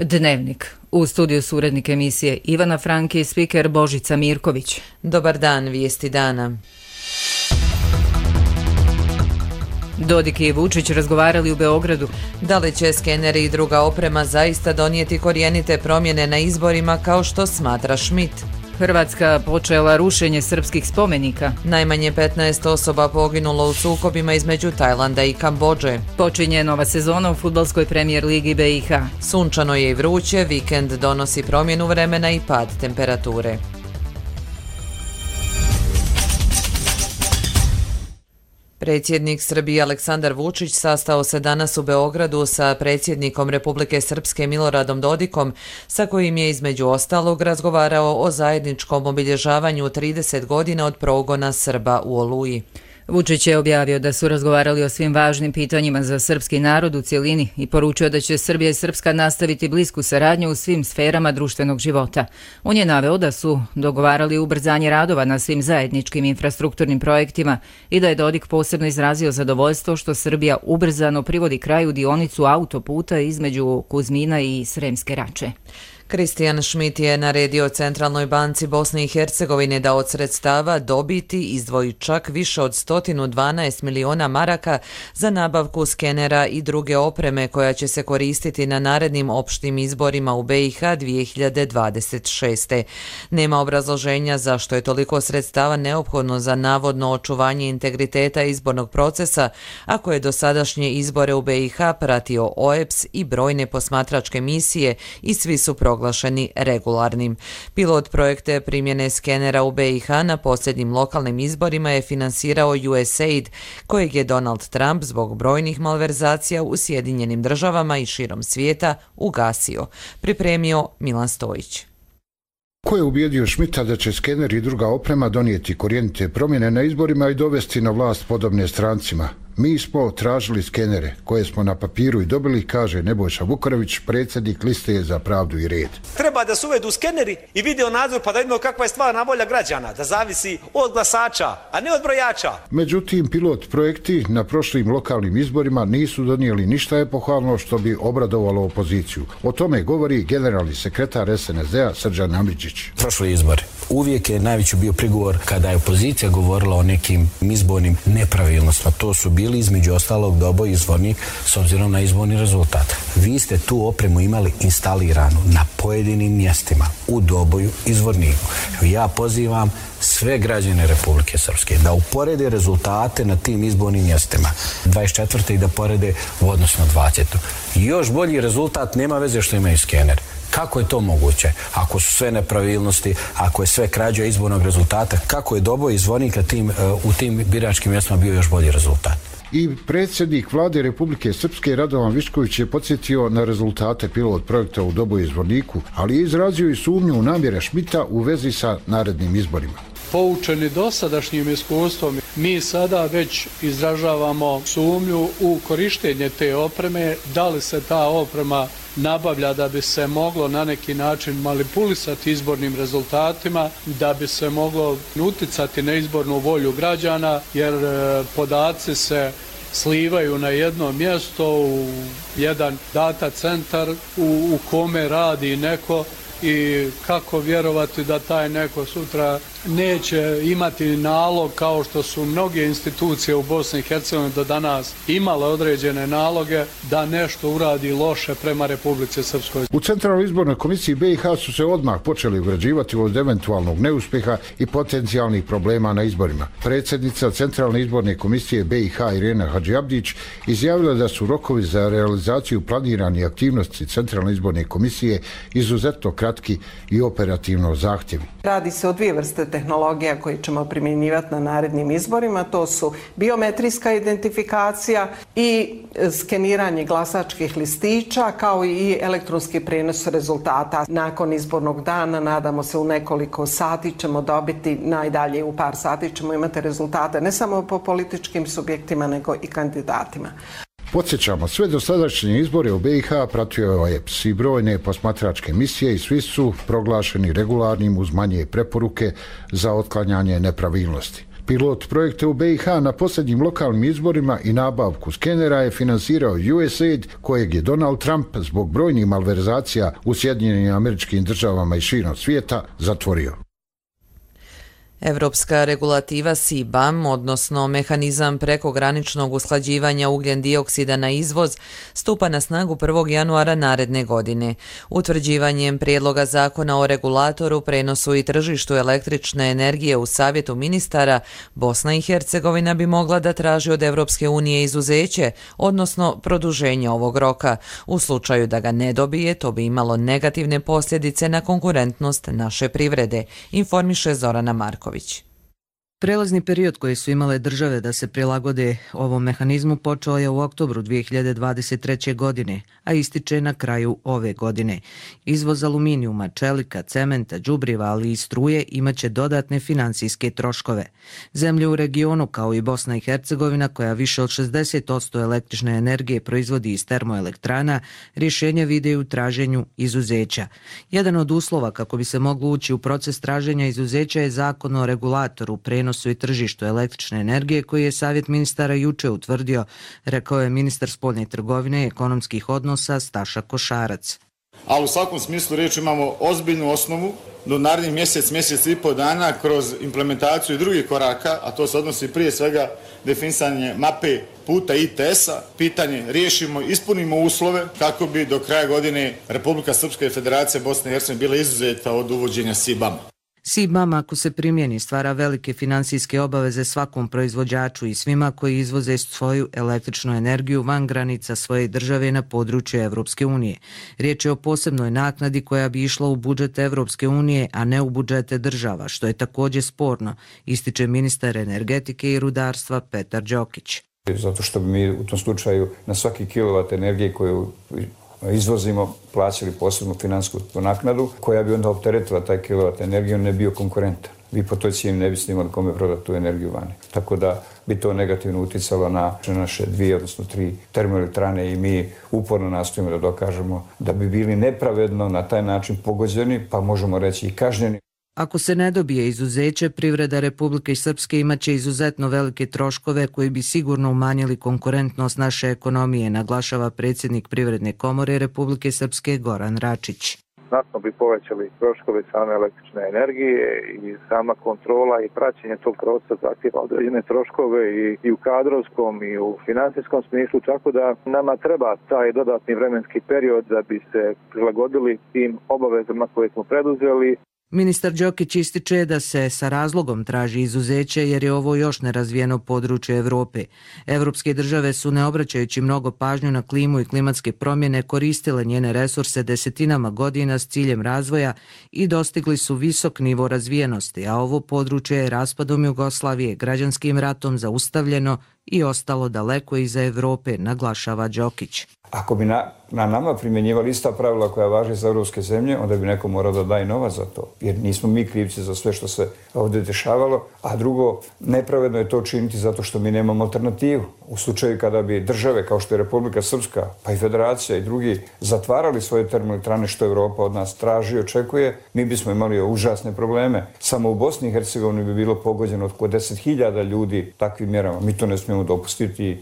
Dnevnik. U studiju su urednik emisije Ivana Franke i spiker Božica Mirković. Dobar dan, vijesti dana. Dodik i Vučić razgovarali u Beogradu. Da li će skeneri i druga oprema zaista donijeti korijenite promjene na izborima kao što smatra Schmidt? Hrvatska počela rušenje srpskih spomenika. Najmanje 15 osoba poginulo u sukobima između Tajlanda i Kambodže. Počinje nova sezona u fudbalskoj premijer ligi BiH. Sunčano je i vruće, vikend donosi promjenu vremena i pad temperature. Predsjednik Srbije Aleksandar Vučić sastao se danas u Beogradu sa predsjednikom Republike Srpske Miloradom Dodikom, sa kojim je između ostalog razgovarao o zajedničkom obilježavanju 30 godina od progona Srba u Oluji. Vučić je objavio da su razgovarali o svim važnim pitanjima za srpski narod u cjelini i poručio da će Srbija i Srpska nastaviti blisku saradnju u svim sferama društvenog života. On je naveo da su dogovarali ubrzanje radova na svim zajedničkim infrastrukturnim projektima i da je Dodik posebno izrazio zadovoljstvo što Srbija ubrzano privodi kraju dionicu autoputa između Kuzmina i Sremske Rače. Kristijan Schmidt je naredio Centralnoj banci Bosne i Hercegovine da od sredstava dobiti izdvoji čak više od 112 miliona maraka za nabavku skenera i druge opreme koja će se koristiti na narednim opštim izborima u BiH 2026. Nema obrazloženja zašto je toliko sredstava neophodno za navodno očuvanje integriteta izbornog procesa, ako je dosadašnje izbore u BiH pratio OEBS i brojne posmatračke misije i svi su proglašeni regularnim. Pilot projekte primjene skenera u BiH na posljednjim lokalnim izborima je finansirao USAID, kojeg je Donald Trump zbog brojnih malverzacija u Sjedinjenim državama i širom svijeta ugasio. Pripremio Milan Stojić. Ko je ubijedio Schmidta da će skener i druga oprema donijeti korijenite promjene na izborima i dovesti na vlast podobne strancima? Mi smo tražili skenere koje smo na papiru i dobili, kaže Nebojša Vukarević, predsjednik Liste za pravdu i red. Treba da se uvedu skeneri i video nadzor pa da vidimo kakva je stvarna volja građana, da zavisi od glasača, a ne od brojača. Međutim, pilot projekti na prošlim lokalnim izborima nisu donijeli ništa epohalno što bi obradovalo opoziciju. O tome govori generalni sekretar SNSD-a Srđan Amidžić. Prošli izbor. Uvijek je najveći bio prigovor kada je opozicija govorila o nekim izbornim nepravilnostima. To su bili između ostalog Doboj i Zvornik s obzirom na izborni rezultat. Vi ste tu opremu imali instaliranu na pojedinim mjestima u Doboju i Zvorniku. Ja pozivam sve građane Republike Srpske da uporede rezultate na tim izbornim mjestima 24. i da porede u odnosu na 20. Još bolji rezultat nema veze što imaju skener. Kako je to moguće? Ako su sve nepravilnosti, ako je sve krađa izbornog rezultata, kako je Doboj i Zvornik u tim biračkim mjestima bio još bolji rezultat? I predsjednik vlade Republike Srpske Radovan Višković je podsjetio na rezultate pilot projekta u Doboju i Zvorniku, ali je izrazio i sumnju u namjere Schmidta u vezi sa narednim izborima. Poučeni dosadašnjim iskustvom, mi sada već izražavamo sumnju u korištenje te opreme, da li se ta oprema nabavlja da bi se moglo na neki način manipulisati izbornim rezultatima, da bi se moglo uticati na izbornu volju građana, jer podaci se slivaju na jedno mjesto u jedan data centar u kome radi neko i kako vjerovati da taj neko sutra neće imati nalog kao što su mnoge institucije u Bosni i Hercegovini do danas imale određene naloge da nešto uradi loše prema Republici Srpskoj. U Centralnoj izbornoj komisiji BiH su se odmah počeli ugrađivati od eventualnog neuspjeha i potencijalnih problema na izborima. Predsjednica Centralne izborne komisije BiH Irena Hadžiabdić izjavila da su rokovi za realizaciju planiranih aktivnosti Centralne izborne komisije izuzetno kratki i operativno zahtjevi. Radi se o dvije vrste tehnologija koje ćemo primjenjivati na narednim izborima. To su biometrijska identifikacija i skeniranje glasačkih listića, kao i elektronski prijenos rezultata. Nakon izbornog dana, nadamo se u nekoliko sati ćemo dobiti, najdalje u par sati ćemo imati rezultate ne samo po političkim subjektima, nego i kandidatima. Podsjećamo, sve dosadašnje izbore u BiH pratio je OEBS i brojne posmatračke misije i svi su proglašeni regularnim uz manje preporuke za otklanjanje nepravilnosti. Pilot projekte u BiH na posljednjim lokalnim izborima i nabavku skenera je finansirao USAID, kojeg je Donald Trump zbog brojnih malverzacija u Sjedinjenim Američkim Državama i širom svijeta zatvorio. Evropska regulativa CBAM, odnosno mehanizam prekograničnog usklađivanja ugljen dioksida na izvoz, stupa na snagu 1. januara naredne godine. Utvrđivanjem prijedloga zakona o regulatoru, prenosu i tržištu električne energije u Savjetu ministara, Bosna i Hercegovina bi mogla da traži od Evropske unije izuzeće, odnosno produženje ovog roka. U slučaju da ga ne dobije, to bi imalo negativne posljedice na konkurentnost naše privrede, informiše Zorana Marković. Prelazni period koji su imale države da se prilagode ovom mehanizmu počeo je u oktobru 2023. godine, a ističe na kraju ove godine. Izvoz aluminijuma, čelika, cementa, đubriva, ali i struje imaće dodatne finansijske troškove. Zemlje u regionu, kao i Bosna i Hercegovina, koja više od 60% električne energije proizvodi iz termoelektrana, rješenje vide u traženju izuzeća. Jedan od uslova kako bi se moglo ući u proces traženja izuzeća je zakon o regulatoru, prenosu i tržištu električne energije koji je Savjet ministara juče utvrdio, rekao je ministar spoljne trgovine i ekonomskih odnosa Staša Košarac. Ali u svakom smislu riječi imamo ozbiljnu osnovu do narednih mjesec i pol dana kroz implementaciju drugih koraka, a to se odnosi prije svega definisanje mape puta ITS-a, pitanje riješimo, ispunimo uslove kako bi do kraja godine Republika Srpska i Federacija Bosne i Hercegovine bila izuzeta od uvođenja CBAM-a. CBAM, ako se primjeni, stvara velike financijske obaveze svakom proizvođaču i svima koji izvoze svoju električnu energiju van granica svoje države na području Evropske unije. Riječ je o posebnoj naknadi koja bi išla u budžet Evropske unije, a ne u budžete država, što je također sporno, ističe ministar energetike i rudarstva Petar Đokić. Zato što bi mi u tom slučaju na svaki kilovat energije koju izvozimo plaćali posebnu finansijsku naknadu koja bi onda opteretila taj kilovat energiju, ne bio konkurentan. Vi po toj cijeni ne biste imali kome prodati tu energiju vani. Tako da bi to negativno utjecalo na naše 2, odnosno 3 termoelektrane i mi uporno nastojimo da dokažemo da bi bili nepravedno na taj način pogođeni, pa možemo reći i kažnjeni. Ako se ne dobije izuzeće, privreda Republike Srpske imaće izuzetno velike troškove koji bi sigurno umanjili konkurentnost naše ekonomije, naglašava predsjednik Privredne komore Republike Srpske Goran Račić. Znatno bi povećali troškove same električne energije i sama kontrola i praćenje tog procesa zahtijeva određene troškove i u kadrovskom i u finansijskom smislu, tako da nama treba taj dodatni vremenski period da bi se prilagodili tim obavezama koje smo preduzeli. Ministar Đokić ističe da se sa razlogom traži izuzeće jer je ovo još nerazvijeno područje Evrope. Evropske države su, ne obraćajući mnogo pažnju na klimu i klimatske promjene, koristile njene resurse desetinama godina s ciljem razvoja i dostigli su visok nivo razvijenosti, a ovo područje je raspadom Jugoslavije, građanskim ratom zaustavljeno i ostalo daleko iza Evrope, naglašava Đokić. Ako bi na nama primjenjivali ista pravila koja važe za evropske zemlje, onda bi neko morao da daje novac za to. Jer nismo mi krivci za sve što se ovdje dešavalo. A drugo, nepravedno je to činiti zato što mi nemamo alternativu. U slučaju kada bi države kao što je Republika Srpska, pa i Federacija i drugi zatvarali svoje termoelektrane što Evropa od nas traži i očekuje, mi bismo imali užasne probleme. Samo u Bosni i Hercegovini bi bilo pogođeno oko 10.000 ljudi takvim mjerama. Mi to ne smijemo dopustiti.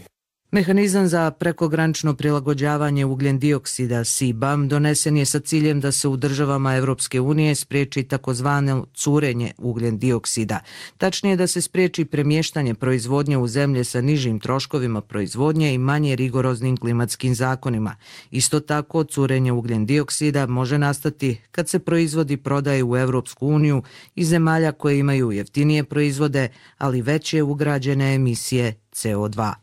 Mehanizam za prekogranično prilagođavanje ugljen dioksida CBAM donesen je sa ciljem da se u državama Evropske unije spriječi takozvano curenje ugljen dioksida. Tačnije da se spriječi premještanje proizvodnje u zemlje sa nižim troškovima proizvodnje i manje rigoroznim klimatskim zakonima. Isto tako, curenje ugljen dioksida može nastati kad se proizvodi prodaje u Evropsku uniju iz zemalja koje imaju jeftinije proizvode, ali veće ugrađene emisije CO2.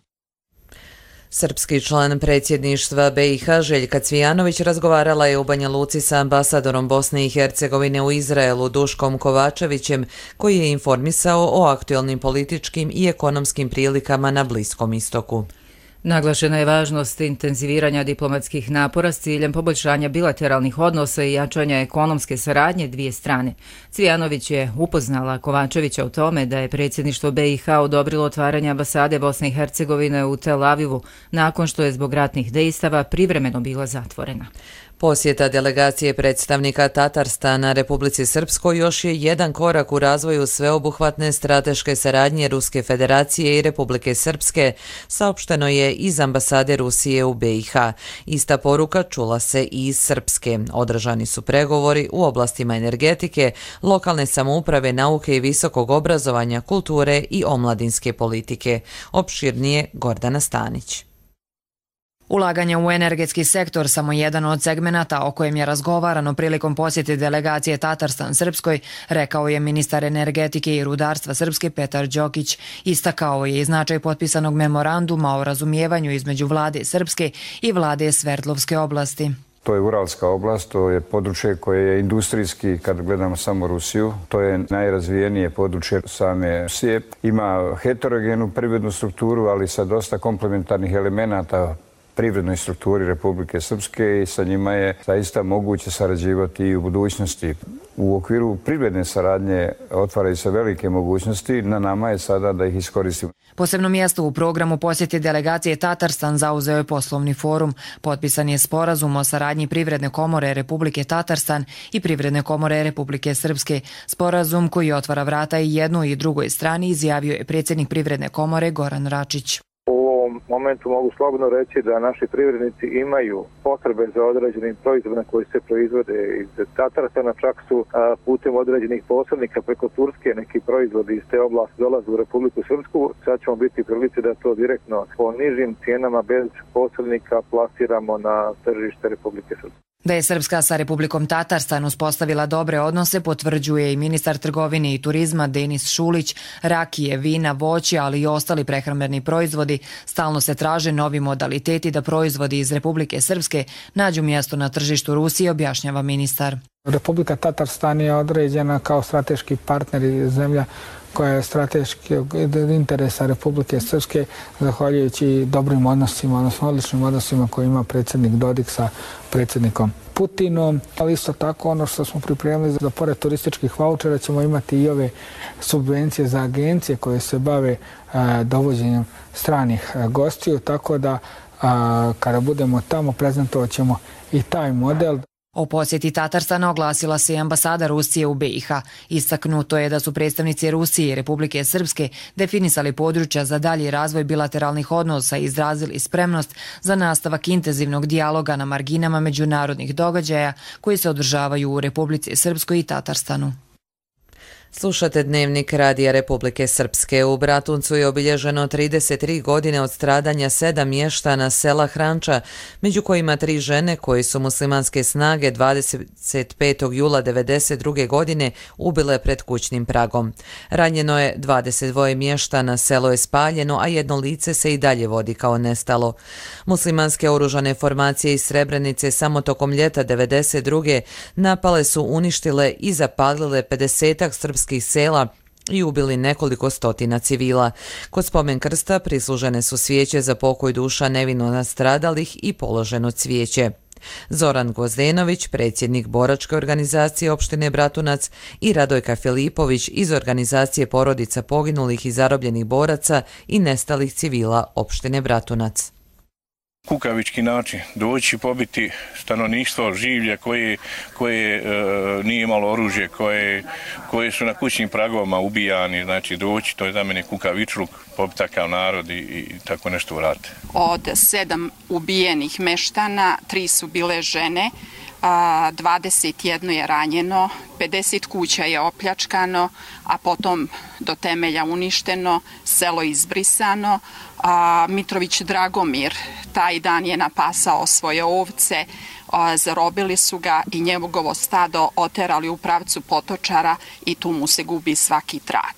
Srpski član predsjedništva BiH Željka Cvijanović razgovarala je u Banja Luci sa ambasadorom Bosne i Hercegovine u Izraelu Duškom Kovačevićem, koji je informisao o aktualnim političkim i ekonomskim prilikama na Bliskom istoku. Naglašena je važnost intenziviranja diplomatskih napora s ciljem poboljšanja bilateralnih odnosa i jačanja ekonomske saradnje dvije strane. Cvijanović je upoznala Kovačevića o tome da je predsjedništvo BiH odobrilo otvaranje ambasade Bosne i Hercegovine u Tel Avivu nakon što je zbog ratnih dejstava privremeno bila zatvorena. Posjeta delegacije predstavnika Tatarstana Republici Srpskoj još je jedan korak u razvoju sveobuhvatne strateške saradnje Ruske federacije i Republike Srpske, saopšteno je iz ambasade Rusije u BiH. Ista poruka čula se i iz Srpske. Održani su pregovori u oblastima energetike, lokalne samouprave, nauke i visokog obrazovanja, kulture i omladinske politike. Opširnije Gordana Stanić. Ulaganje u energetski sektor samo jedan od segmenata o kojem je razgovarano prilikom posjete delegacije Tatarstan Srpskoj, rekao je ministar energetike i rudarstva Srpske Petar Đokić. Istakao je i značaj potpisanog memoranduma o razumijevanju između vlade Srpske i vlade Sverdlovske oblasti. To je Uralska oblast, to je područje koje je industrijski, kad gledamo samo Rusiju, to je najrazvijenije područje same Rusije. Ima heterogenu privrednu strukturu, ali sa dosta komplementarnih elemenata privrednoj strukturi Republike Srpske i sa njima je zaista moguće sarađivati i u budućnosti. U okviru privredne saradnje otvaraju se velike mogućnosti, na nama je sada da ih iskoristimo. Posebno mjesto u programu posjete delegacije Tatarstan zauzeo je poslovni forum. Potpisan je sporazum o saradnji Privredne komore Republike Tatarstan i Privredne komore Republike Srpske. Sporazum koji otvara vrata i jednoj i drugoj strani izjavio je predsjednik Privredne komore Goran Račić. U momentu mogu slobodno reći da naši privrednici imaju potrebe za određenim proizvodima koji se proizvode iz Tatarstana, čak su putem određenih posrednika preko Turske neki proizvodi iz te oblasti dolaze u Republiku Srpsku. Sad ćemo biti prilici da to direktno po nižim cijenama bez posrednika plasiramo na tržište Republike Srpske. Da je Srpska sa Republikom Tatarstan uspostavila dobre odnose potvrđuje i ministar trgovine i turizma Denis Šulić. Rakije, vina, voće, ali i ostali prehrambeni proizvodi. Stalno se traže novi modaliteti da proizvodi iz Republike Srpske nađu mjesto na tržištu Rusije, objašnjava ministar. Republika Tatarstan je određena kao strateški partner i zemlja koja je strateški interesa Republike Srpske, zahvaljujući dobrim odnosima, odnosno odličnim odnosima koje ima predsjednik Dodik sa predsjednikom Putinom. Ali isto tako ono što smo pripremili za pored turističkih vaučera ćemo imati i ove subvencije za agencije koje se bave dovođenjem stranih gostiju, tako da kada budemo tamo prezentovat ćemo i taj model. O posjeti Tatarstana oglasila se i ambasada Rusije u BiH. Istaknuto je da su predstavnici Rusije i Republike Srpske definisali područja za dalji razvoj bilateralnih odnosa i izrazili spremnost za nastavak intenzivnog dijaloga na marginama međunarodnih događaja koji se održavaju u Republici Srpskoj i Tatarstanu. Slušate Dnevnik Radija Republike Srpske. U Bratuncu je obilježeno 33 godine od stradanja 7 mještana sela Hranča, među kojima 3 žene koje su muslimanske snage 25. jula 1992. godine ubile pred kućnim pragom. Ranjeno je 22 mještana, selo je spaljeno, a jedno lice se i dalje vodi kao nestalo. Muslimanske oružane formacije iz Srebrenice samo tokom ljeta 1992. napale su, uništile i zapalile 50 srpskih sela i ubili nekoliko stotina civila. Kod spomen krsta prislužene su svijeće za pokoj duša nevino nastradalih i položeno cvijeće. Zoran Gvozdenović, predsjednik boračke organizacije opštine Bratunac, i Radojka Filipović iz organizacije porodica poginulih i zarobljenih boraca i nestalih civila opštine Bratunac. Kukavički način, doći pobiti stanovništvo, življe koje nije imalo oružje, koje su na kućnim pragovima ubijani, znači doći, to je za mene kukavičluk, pobiti takav narod i tako nešto uraditi. Od 7 ubijenih meštana, 3 su bile žene, 21 je ranjeno, 50 kuća je opljačkano, a potom do temelja uništeno, selo izbrisano. Mitrović Dragomir taj dan je napasao svoje ovce, zarobili su ga i njegovo stado oterali u pravcu Potočara i tu mu se gubi svaki trag.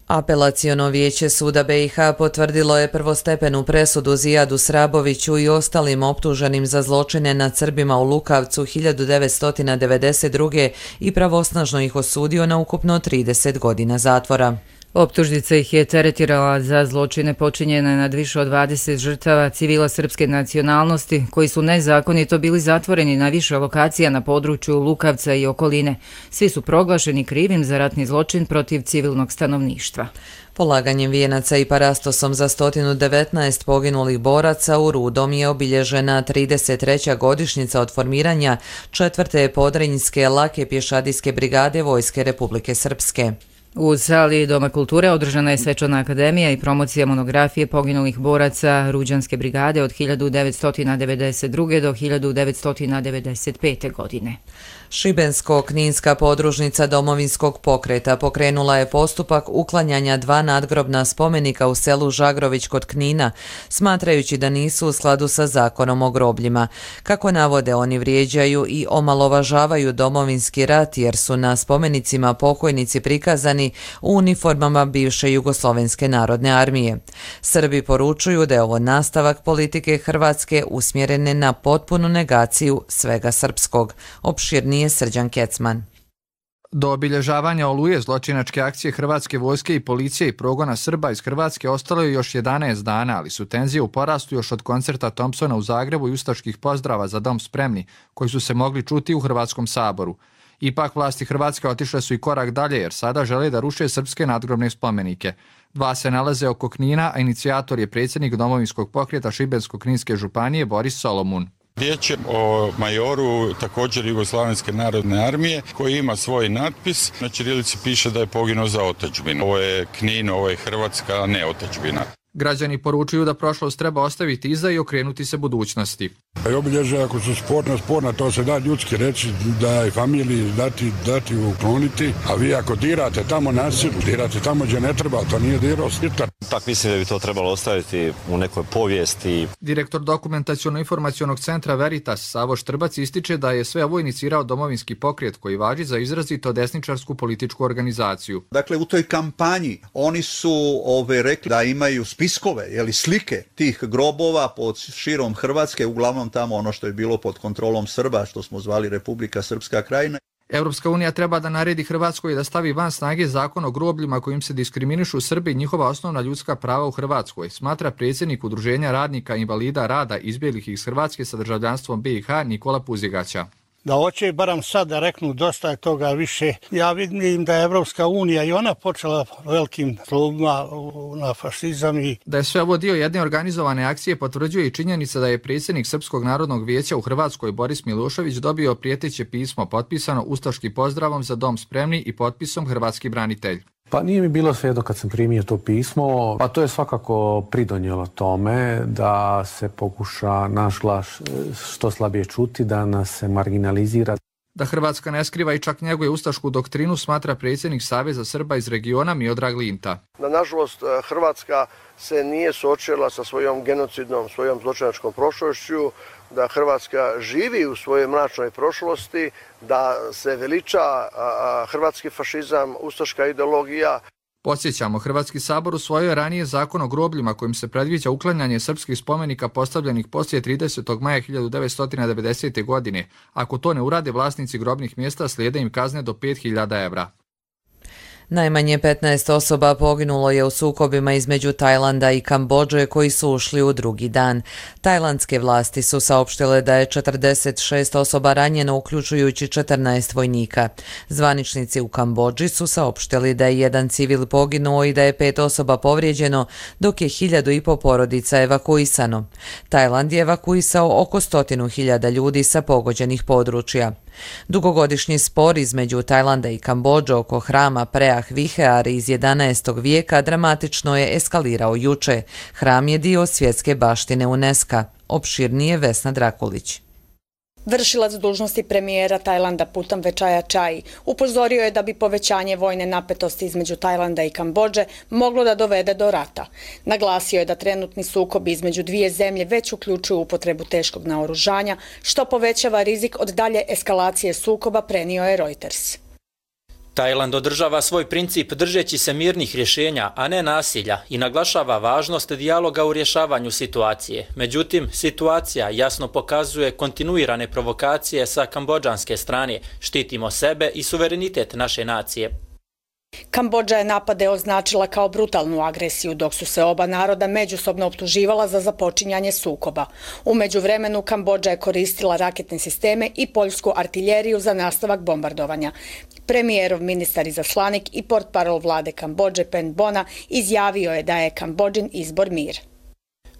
Apelaciono vijeće suda BiH potvrdilo je prvostepenu presudu Zijadu Sraboviću i ostalim optuženim za zločine nad Srbima u Lukavcu 1992. i pravosnažno ih osudio na ukupno 30 godina zatvora. Optužnica ih je teretirala za zločine počinjene nad više od 20 žrtava civila srpske nacionalnosti, koji su nezakonito bili zatvoreni na više lokacija na području Lukavca i okoline. Svi su proglašeni krivim za ratni zločin protiv civilnog stanovništva. Polaganjem vijenaca i parastosom za 119 poginulih boraca u Rudom je obilježena 33. godišnjica od formiranja 4. podrinjske lake pješadijske brigade Vojske Republike Srpske. U sali Doma kulture održana je svečana akademija i promocija monografije poginulih boraca Ruđanske brigade od 1992. do 1995. godine. Šibensko-kninska podružnica Domovinskog pokreta pokrenula je postupak uklanjanja 2 nadgrobna spomenika u selu Žagrović kod Knina, smatrajući da nisu u skladu sa zakonom o grobljima. Kako navode, oni vrijeđaju i omalovažavaju Domovinski rat jer su na spomenicima pokojnici prikazani u uniformama bivše Jugoslovenske narodne armije. Srbi poručuju da je ovo nastavak politike Hrvatske usmjerene na potpunu negaciju svega srpskog. Opširnije Srđan Kecman. Do obilježavanja Oluje zločinačke akcije Hrvatske vojske i policije i progona Srba iz Hrvatske ostalo je još 11 dana, ali su tenzije u porastu još od koncerta Thompsona u Zagrebu i ustaških pozdrava za dom spremni, koji su se mogli čuti u Hrvatskom saboru. Ipak vlasti Hrvatske otišle su i korak dalje jer sada žele da ruše srpske nadgrobne spomenike. 2 se nalaze oko Knina, a inicijator je predsjednik Domovinskog pokreta Šibensko-kninske županije Boris Solomun. Riječ je o majoru također Jugoslavenske narodne armije koji ima svoj natpis. Na ćirilici piše da je poginuo za otadžbinu. Ovo je Knin, ovo je Hrvatska, a ne otadžbina. Građani poručuju da prošlost treba ostaviti iza i okrenuti se budućnosti. Obilježja ako su sporna, to se da ljudski reći da je familiji dati ukloniti, a vi ako dirate tamo nasilju, dirate tamo gdje ne treba, to nije dirao Stitar. Tak mislim da bi to trebalo ostaviti u nekoj povijesti. Direktor dokumentaciono-informacionog centra Veritas Savo Štrbac ističe da je sve ovo inicirao Domovinski pokret koji važi za izrazito desničarsku političku organizaciju. Dakle, u toj kampanji oni su rekli da imaju spiskove, slike tih grobova pod širom Hrvatske, uglavnom tamo ono što je bilo pod kontrolom Srba, što smo zvali Republika Srpska krajina. Europska unija treba da naredi Hrvatskoj da stavi van snage zakon o grobljima kojim se diskriminišu Srbi i njihova osnovna ljudska prava u Hrvatskoj, smatra predsjednik Udruženja radnika invalida rada izbjeglih iz Hrvatske sa državljanstvom BiH Nikola Puzigaća. Da hoće baram sad da reknu dosta je toga više. Ja vidim da je Evropska unija i ona počela velikim tlubima na fašizam. Da je sve ovo dio jedne organizovane akcije potvrđuje i činjenica da je predsjednik Srpskog narodnog vijeća u Hrvatskoj Boris Milošević dobio prijeteće pismo potpisano ustaškim pozdravom za dom spremni i potpisom Hrvatski branitelj. Pa nije mi bilo svejedno kad sam primio to pismo, pa to je svakako pridonijelo tome da se pokuša naš glas što slabije čuti, da nas se marginalizira. Da Hrvatska ne skriva i čak njeguje ustašku doktrinu, smatra predsjednik Saveza Srba iz regiona Miodrag Linta. Da nažalost Hrvatska se nije suočila sa svojom genocidnom, svojom zločinačkom prošlošću, da Hrvatska živi u svojoj mračnoj prošlosti, da se veliča hrvatski fašizam, ustaška ideologija. Podsjećamo, Hrvatski sabor usvojio je ranije zakon o grobljima kojim se predviđa uklanjanje srpskih spomenika postavljenih poslije 30. maja 1990. godine. Ako to ne urade, vlasnici grobnih mjesta slijede im kazne do 5.000 evra. Najmanje 15 osoba poginulo je u sukobima između Tajlanda i Kambodže koji su ušli u drugi dan. Tajlandske vlasti su saopštile da je 46 osoba ranjeno, uključujući 14 vojnika. Zvaničnici u Kambodži su saopštili da je 1 civil poginuo i da je 5 osoba povrijeđeno, dok je 1.500 porodica evakuisano. Tajland je evakuisao oko 100.000 ljudi sa pogođenih područja. Dugogodišnji spor između Tajlanda i Kambodže oko hrama Preah Vihear iz 11. vijeka dramatično je eskalirao juče. Hram je dio svjetske baštine UNESCO. Opširnije Vesna Drakulić. Vršilac dužnosti premijera Tajlanda Putamve Čaja-Čaji upozorio je da bi povećanje vojne napetosti između Tajlanda i Kambodže moglo da dovede do rata. Naglasio je da trenutni sukobi između dvije zemlje već uključuju upotrebu teškog naoružanja, što povećava rizik od dalje eskalacije sukoba, prenio je Reuters. Tajland održava svoj princip držeći se mirnih rješenja, a ne nasilja, i naglašava važnost dijaloga u rješavanju situacije. Međutim, situacija jasno pokazuje kontinuirane provokacije sa kambodžanske strane. Štitimo sebe i suverenitet naše nacije. Kambodža je napade označila kao brutalnu agresiju, dok su se oba naroda međusobno optuživala za započinjanje sukoba. U međuvremenu Kambodža je koristila raketne sisteme i poljsku artiljeriju za nastavak bombardovanja. Premijerov ministar izaslanik i portparol vlade Kambodže Pen Bona izjavio je da je Kambodžin izbor mir.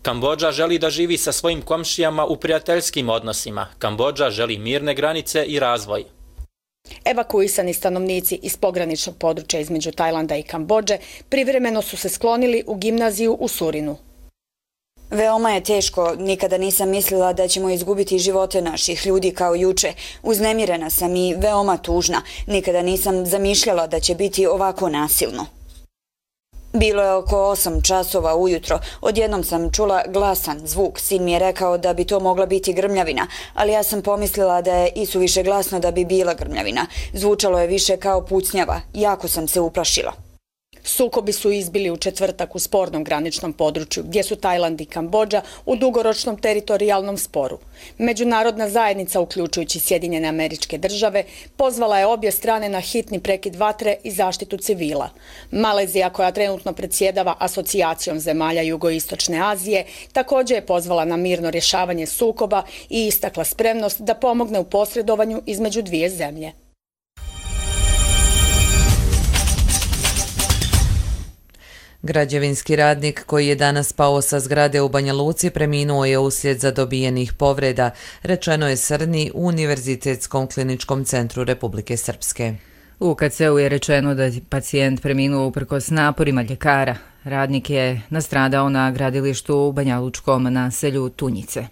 Kambodža želi da živi sa svojim komšijama u prijateljskim odnosima. Kambodža želi mirne granice i razvoj. Evakuisani stanovnici iz pograničnog područja između Tajlanda i Kambodže privremeno su se sklonili u gimnaziju u Surinu. Veoma je teško, nikada nisam mislila da ćemo izgubiti živote naših ljudi kao juče. Uznemirena sam i veoma tužna, nikada nisam zamišljala da će biti ovako nasilno. Bilo je oko 8 časova ujutro, odjednom sam čula glasan zvuk, sin mi je rekao da bi to mogla biti grmljavina, ali ja sam pomislila da je isuviše glasno da bi bila grmljavina. Zvučalo je više kao pucnjava, jako sam se uplašila. Sukobi su izbili u četvrtak u spornom graničnom području, gdje su Tajland i Kambodža u dugoročnom teritorijalnom sporu. Međunarodna zajednica, uključujući Sjedinjene Američke Države, pozvala je obje strane na hitni prekid vatre i zaštitu civila. Malezija, koja trenutno predsjedava asocijacijom zemalja Jugoistočne Azije, također je pozvala na mirno rješavanje sukoba i istakla spremnost da pomogne u posredovanju između dvije zemlje. Građevinski radnik koji je danas pao sa zgrade u Banja Luci preminuo je uslijed zadobijenih povreda, rečeno je Srni u Univerzitetskom kliničkom centru Republike Srpske. U UKC-u je rečeno da je pacijent preminuo uprkos naporima ljekara. Radnik je nastradao na gradilištu u banjalučkom naselju Tunjice.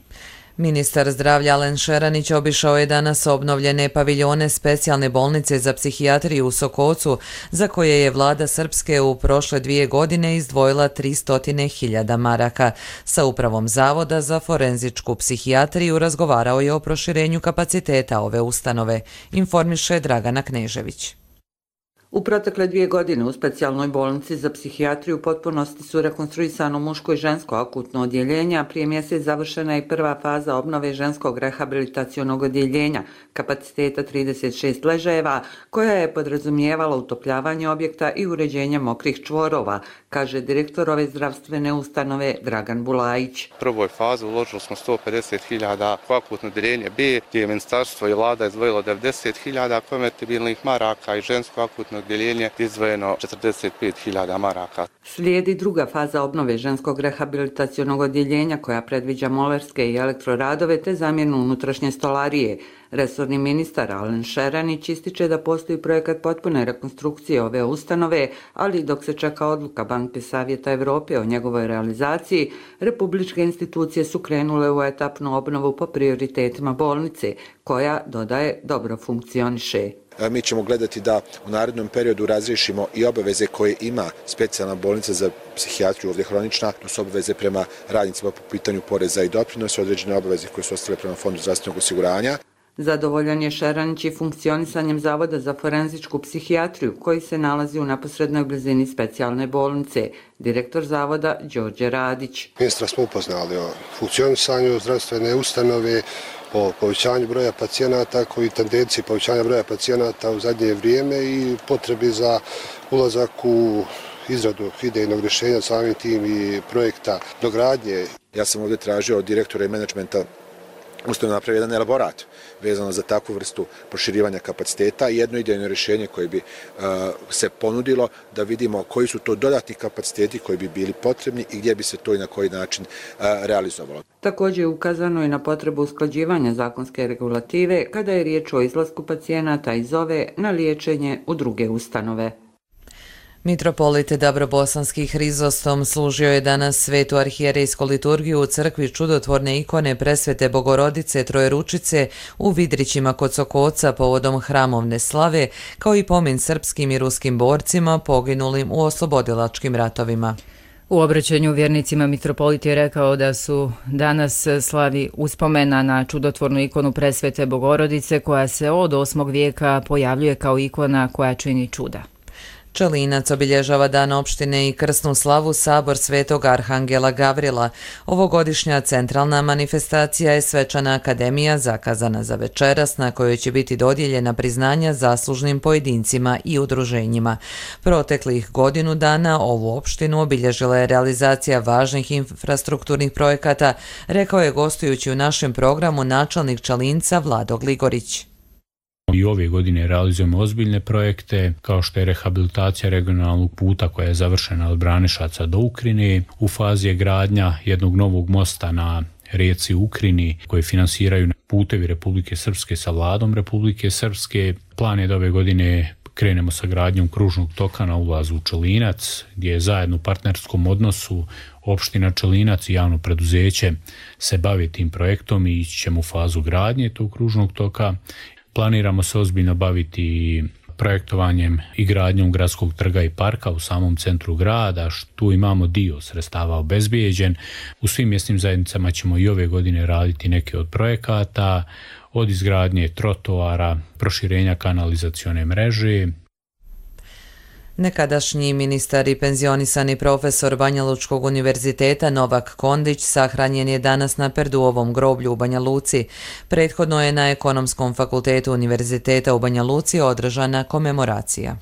Ministar zdravlja Alen Šeranić obišao je danas obnovljene paviljone specijalne bolnice za psihijatriju u Sokocu, za koje je vlada Srpske u prošle 2 godine izdvojila 300.000 maraka. Sa upravom Zavoda za forenzičku psihijatriju razgovarao je o proširenju kapaciteta ove ustanove, informiše Dragana Knežević. U protekle 2 godine u specijalnoj bolnici za psihijatriju u potpunosti su rekonstruisano muško i žensko akutno odjeljenje, a prije mjesec završena je prva faza obnove ženskog rehabilitacionog odjeljenja, kapaciteta 36 ležajeva, koja je podrazumijevala utopljavanje objekta i uređenje mokrih čvorova, kaže direktor ove zdravstvene ustanove Dragan Bulajić. U prvoj fazi uložili smo 150.000 u akutno odjeljenje B, gdje je ministarstvo i vlada izdvojilo 90.000 konvertibilnih maraka i žensko akutno odjeljenje izdvojeno 45.000 maraka. Slijedi druga faza obnove ženskog rehabilitacionog odjeljenja koja predviđa molerske i elektroradove te zamjenu unutrašnje stolarije. Resorni ministar Alen Šeranić ističe da postoji projekat potpune rekonstrukcije ove ustanove, ali dok se čeka odluka Banke Savjeta Evrope o njegovoj realizaciji, republičke institucije su krenule u etapnu obnovu po prioritetima bolnice, koja, dodaje, dobro funkcioniše. Mi ćemo gledati da u narednom periodu razriješimo i obaveze koje ima specijalna bolnica za psihijatriju, ovdje hronična, to su obaveze prema radnicima po pitanju poreza i doprinosa, određene obaveze koje su ostale prema Fondu zdravstvenog osiguranja. Zadovoljan je Šeranić i funkcionisanjem Zavoda za forenzičku psihijatriju, koji se nalazi u neposrednoj blizini specijalne bolnice. Direktor Zavoda Đorđe Radić. Ministra smo upoznali o funkcionisanju zdravstvene ustanove, o povećanju broja pacijenata, koji tendenciji povećanja broja pacijenata u zadnje vrijeme i potrebi za ulazak u izradu idejnog rješenja, samim tim i projekta dogradnje. Ja sam ovdje tražio od direktora i menadžmenta ustanove napravi jedan elaborat vezano za takvu vrstu proširivanja kapaciteta i jedno idejno rješenje koje bi se ponudilo da vidimo koji su to dodatni kapaciteti koji bi bili potrebni i gdje bi se to i na koji način realizovalo. Također je ukazano i na potrebu usklađivanja zakonske regulative kada je riječ o izlasku pacijenata iz ove na liječenje u druge ustanove. Mitropolit Dabrobosanski Hrizostom služio je danas svetu arhijerejsku liturgiju u crkvi čudotvorne ikone Presvete Bogorodice Trojeručice u Vidrićima kod Sokoca povodom hramovne slave, kao i pomen srpskim i ruskim borcima poginulim u oslobodilačkim ratovima. U obraćanju vjernicima mitropolit je rekao da su danas slavi uspomena na čudotvornu ikonu Presvete Bogorodice koja se od 8. vijeka pojavljuje kao ikona koja čini čuda. Čelinac obilježava dan opštine i krsnu slavu Sabor Svetog Arhangela Gavrila. Ovogodišnja centralna manifestacija je svečana akademija zakazana za večeras na kojoj će biti dodijeljena priznanja zaslužnim pojedincima i udruženjima. Proteklih godinu dana ovu opštinu obilježila je realizacija važnih infrastrukturnih projekata, rekao je gostujući u našem programu načelnik Čelinca Vlado Gligorić. I ove godine realizujemo ozbiljne projekte, kao što je rehabilitacija regionalnog puta koja je završena od Branišaca do Ukrine. U fazi je gradnja jednog novog mosta na rijeci Ukrini koji finansiraju putevi Republike Srpske sa vladom Republike Srpske. Plan je da ove godine krenemo sa gradnjom kružnog toka na ulazu u Čelinac, gdje je zajedno u partnerskom odnosu opština Čelinac i javno preduzeće se bavi tim projektom i ići ćemo u fazu gradnje tog kružnog toka. Planiramo se ozbiljno baviti projektovanjem i gradnjom gradskog trga i parka u samom centru grada. Tu imamo dio sredstava obezbijeđen. U svim mjesnim zajednicama ćemo i ove godine raditi neke od projekata, od izgradnje trotoara, proširenja kanalizacione mreže. Nekadašnji ministar i penzionisani profesor Banja Lučkog univerziteta Novak Kondić sahranjen je danas na Perduovom groblju u Banja Luci. Prethodno je na Ekonomskom fakultetu univerziteta u Banja Luci održana komemoracija.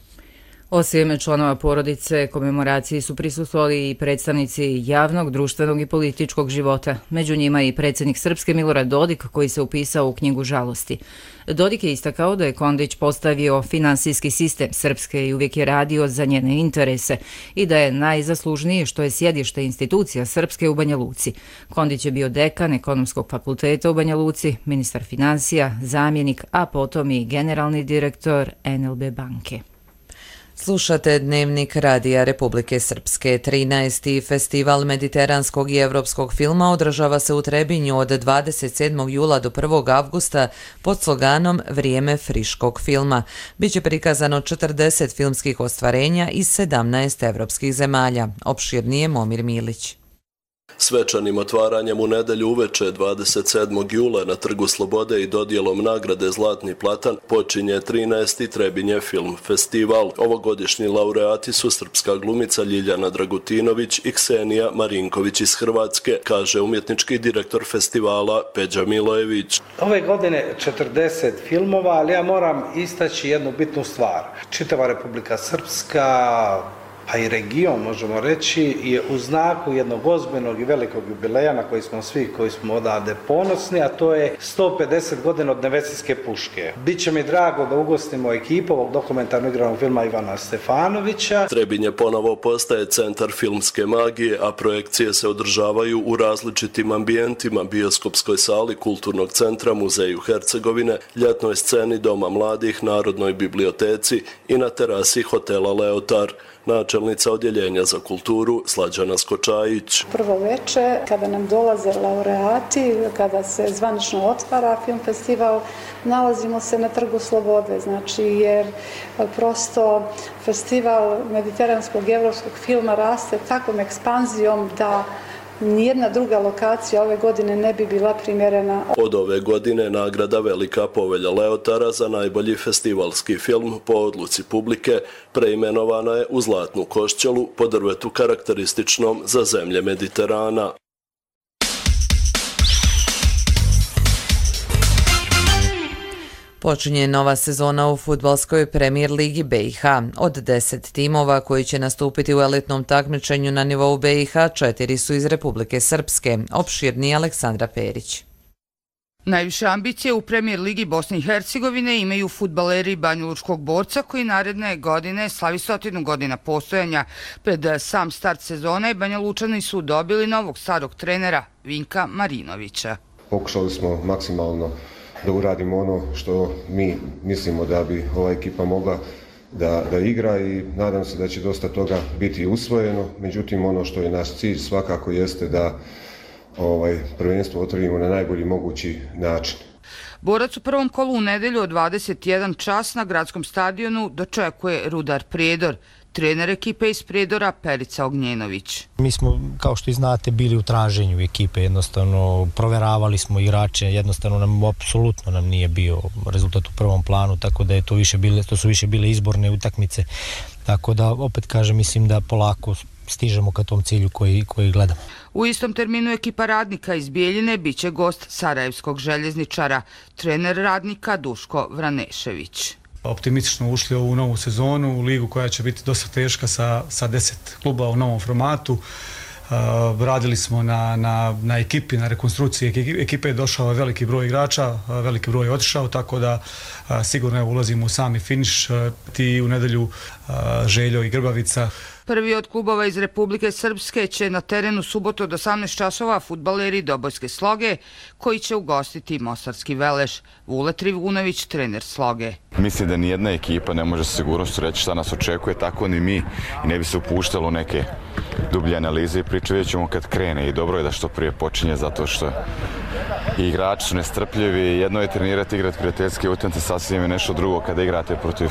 Osim članova porodice, komemoraciji su prisustvovali i predstavnici javnog, društvenog i političkog života. Među njima i predsjednik Srpske Milorad Dodik, koji se upisao u knjigu žalosti. Dodik je istakao da je Kondić postavio finansijski sistem Srpske i uvijek je radio za njene interese i da je najzaslužniji što je sjedište institucija Srpske u Banja Luci. Kondić je bio dekan Ekonomskog fakulteta u Banja Luci, ministar financija, zamjenik, a potom i generalni direktor NLB banke. Slušate Dnevnik Radija Republike Srpske. 13. festival mediteranskog i evropskog filma održava se u Trebinju od 27. jula do 1. avgusta pod sloganom Vrijeme friškog filma. Biće prikazano 40 filmskih ostvarenja iz 17 evropskih zemalja. Opširnije Momir Milić. Svečanim otvaranjem u nedelju uveče 27. jula na Trgu Slobode i dodjelom nagrade Zlatni platan počinje 13. Trebinje film festival. Ovogodišnji laureati su srpska glumica Ljiljana Dragutinović i Ksenija Marinković iz Hrvatske, kaže umjetnički direktor festivala Peđa Milojević. Ove godine 40 filmova, ali ja moram istaći jednu bitnu stvar. Čitava Republika Srpska, pa i region, možemo reći, je u znaku jednog ozbiljnog i velikog jubileja na koji smo svi koji smo odavde ponosni, a to je 150 godina od Nevesinjske puške. Biće mi drago da ugostimo ekipu ovog dokumentarnog igranog filma Ivana Stefanovića. Trebinje ponovo postaje centar filmske magije, a projekcije se održavaju u različitim ambijentima, bioskopskoj sali Kulturnog centra, Muzeju Hercegovine, ljetnoj sceni Doma mladih, Narodnoj biblioteci i na terasi hotela Leotar. Načelnica odjeljenja za kulturu Slađana Skočajić. Prvo veče, kada nam dolaze laureati, kada se zvanično otvara film festival, nalazimo se na Trgu Slobode, znači jer prosto festival mediteranskog i evropskog filma raste takvom ekspanzijom da nijedna druga lokacija ove godine ne bi bila primjerena. Od ove godine nagrada Velika povelja Leotara za najbolji festivalski film po odluci publike preimenovana je u Zlatnu košćelu po drvetu karakterističnom za zemlje Mediterana. Počinje nova sezona u fudbalskoj premijer ligi BiH. Od 10 timova koji će nastupiti u elitnom takmičenju na nivou BiH, 4 su iz Republike Srpske. Opširniji Aleksandra Perić. Najviše ambicije u premijer ligi Bosne i Hercegovine imaju fudbaleri Banjalučkog Borca koji naredne godine slavi 100 godina postojanja. Pred sam start sezone Banjalučani su dobili novog starog trenera Vinka Marinovića. Pokušali smo maksimalno da uradimo ono što mi mislimo da bi ova ekipa mogla da igra i nadam se da će dosta toga biti usvojeno. Međutim, ono što je naš cilj svakako jeste da prvenstvo otvorimo na najbolji mogući način. Borac u prvom kolu u nedelju od 21 čas na gradskom stadionu dočekuje Rudar Prijedor. trener ekipe iz Prijedora Perica Ognjenović. Mi smo, kao što i znate, bili u traženju ekipe, jednostavno proveravali smo igrače, jednostavno apsolutno nam nije bio rezultat u prvom planu, tako da je to su više bile izborne utakmice, tako da opet kažem, mislim da polako stižemo ka tom cilju koji gledamo. U istom terminu ekipa Radnika iz Bijeljine biće gost sarajevskog željezničara, trener Radnika Duško Vranešević. Optimistično ušli u ovu novu sezonu, u ligu koja će biti dosta teška sa 10 kluba u novom formatu. Radili smo na ekipi, na rekonstrukciji ekipe je došao veliki broj igrača, veliki broj je otišao, tako da sigurno ulazimo u sami finiš. Ti u nedelju Željo i Grbavica. Prvi od klubova iz Republike Srpske će na terenu subotu od 18 časova fudbaleri Dobojske Sloge, koji će ugostiti Mostarski Veleš. Vule Trivunović, trener Sloge. Mislim da nijedna ekipa ne može sa sigurnošću reći šta nas očekuje, tako ni mi, i ne bi se upuštalo u neke dublje analize i priče, vidjet ćemo kad krene, i dobro je da što prije počinje, zato što i igrači su nestrpljivi. Jedno je trenirati, igrati prijateljske utakmice, sasvim je nešto drugo kada igrate protiv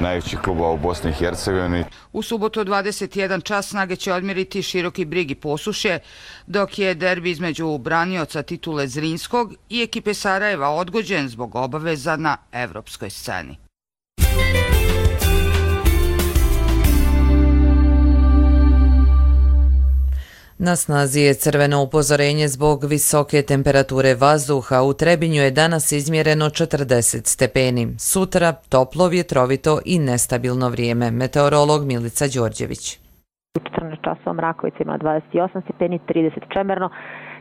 najvećih klubova u Bosni i Hercegovini. U subotu 21 čas Snage će odmjeriti Široki Brig i Posušje, dok je derbi između branioca titule Zrinskog i ekipe Sarajeva odgođen zbog obaveza na evropskoj sceni. Na snazi je crveno upozorenje zbog visoke temperature vazduha. U Trebinju je danas izmjereno 40 stepeni. Sutra toplo, vjetrovito i nestabilno vrijeme. Meteorolog Milica Đorđević. U 14 časova Mrakovica ima 28 stepeni, 30 Čemerno,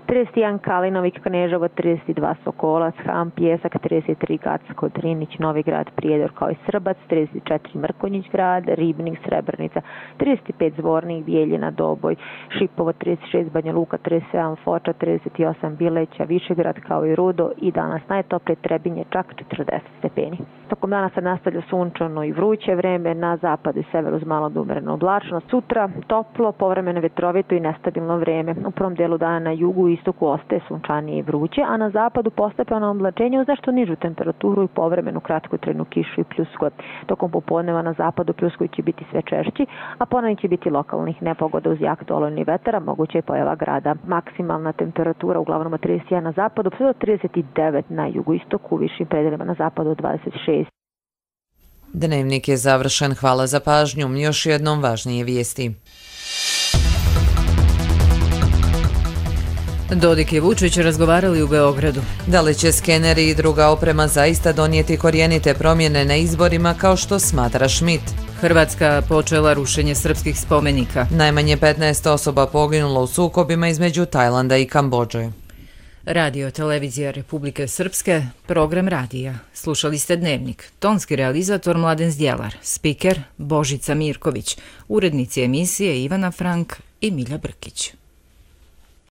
31 Kalinovik, Kneževo, 32 Sokolac, Ham, Pjesak, 33 Gacko, Drinić, Novigrad, Prijedor kao i Srbac, 34 Mrkonjić grad, Ribnik, Srebrnica, 35 Zvornik, Bijeljina, Doboj, Šipovo, 36 Banja Luka, 37 Foča, 38 Bileća, Višegrad kao i Rudo i danas najtoplije Trebinje čak 40 stepeni. Tokom dana se nastavlja sunčano i vruće vreme, na zapadu i severu uz malo do umereno oblačno. Sutra toplo, povremeno vetrovito i nestabilno vreme. U prvom delu dana na jugu i istoku ostaje sunčanije i vruće, a na zapadu postepeno oblačenje uz nešto nižu temperaturu i povremenu kratkotrajnu kišu i pljuskove. Tokom popodneva na zapadu pljuskovi će biti sve češći, a ponovno će biti lokalnih nepogoda uz jak olujni vetar, a moguće je pojava grada. Maksimalna temperatura uglavnom od 31 na zapadu, sve do 39 na jugoistoku, u višim predelima na zapadu od 26. Dnevnik je završen. Hvala za pažnju. Još jednom važnije vijesti. Dodik i Vučić razgovarali u Beogradu. Da li će skeneri i druga oprema zaista donijeti korijenite promjene na izborima kao što smatra Schmidt? Hrvatska počela rušenje srpskih spomenika. Najmanje 15 osoba poginulo u sukobima između Tajlanda i Kambodže. Radio televizija Republike Srpske, program radija. Slušali ste Dnevnik. Tonski realizator Mladen Zdjelar, spiker Božica Mirković, urednici emisije Ivana Frank i Milja Brkić.